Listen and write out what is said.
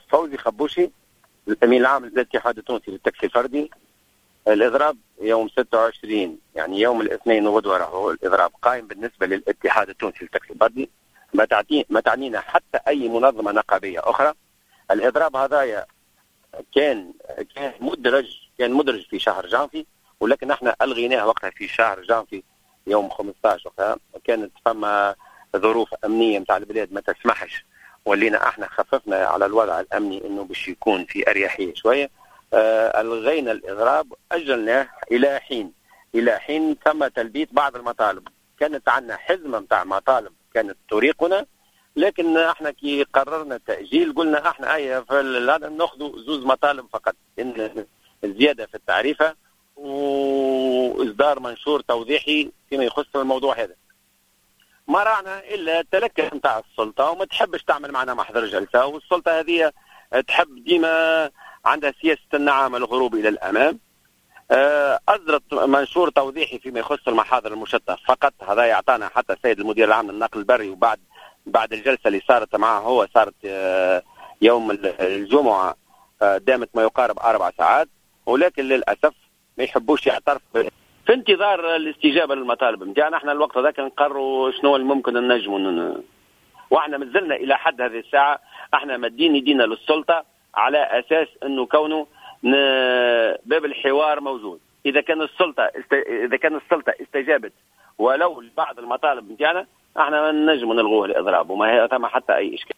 فوزي خبوشي، الامين العام للاتحاد التونسي للتاكسي الفردي. الاضراب يوم 26، يعني يوم الاثنين وغدوه، راهو الاضراب قائم بالنسبة للاتحاد التونسي للتاكسي الفردي، ما تعنينا حتى اي منظمة نقابيه اخرى. الاضراب هذايا كان مدرج في شهر جانفي، ولكن احنا الغيناه وقتها في شهر جانفي يوم 15. وقتها كانت فما ظروف امنية نتاع البلاد ما تسمحش، ولينا احنا خففنا على الوضع الامني انه باش يكون في اريحية شويه. الغينا الاضراب، اجلناه الى حين تم تلبية بعض المطالب. كانت عندنا حزمه نتاع مطالب كانت تريقنا، لكن احنا كي قررنا التاجيل قلنا احنا اي هذا ناخذ زوز مطالب فقط: ان الزيادة في التعريفه واصدار منشور توضيحي فيما يخص الموضوع هذا. ما رانا الا التلكؤ نتاع السلطه، وما تحبش تعمل معنا محضر جلسه، والسلطة هذه تحب ديما عندها سياسة النعامه الهروب الى الامام. اصدرت منشور توضيحي فيما يخص المحاضر المشطه فقط. هذا يعطانا حتى السيد المدير العام للنقل البري، وبعد الجلسة اللي صارت معه هو، صارت يوم الجمعه، دامت ما يقارب 4 ساعات، ولكن للاسف ما يحبوش يعترفوا. في انتظار الاستجابة للمطالب نتاعنا، احنا الوقت هذاك نقروا شنو الممكن نجموا. واحنا مازلنا الى حد هذه الساعة احنا مدين يدينا للسلطة على اساس انه كونه باب الحوار موجود. اذا كان السلطة استجابت ولو لبعض المطالب نتاعنا، احنا نجم نلغوه الاضراب وما ثم حتى اي اشكال.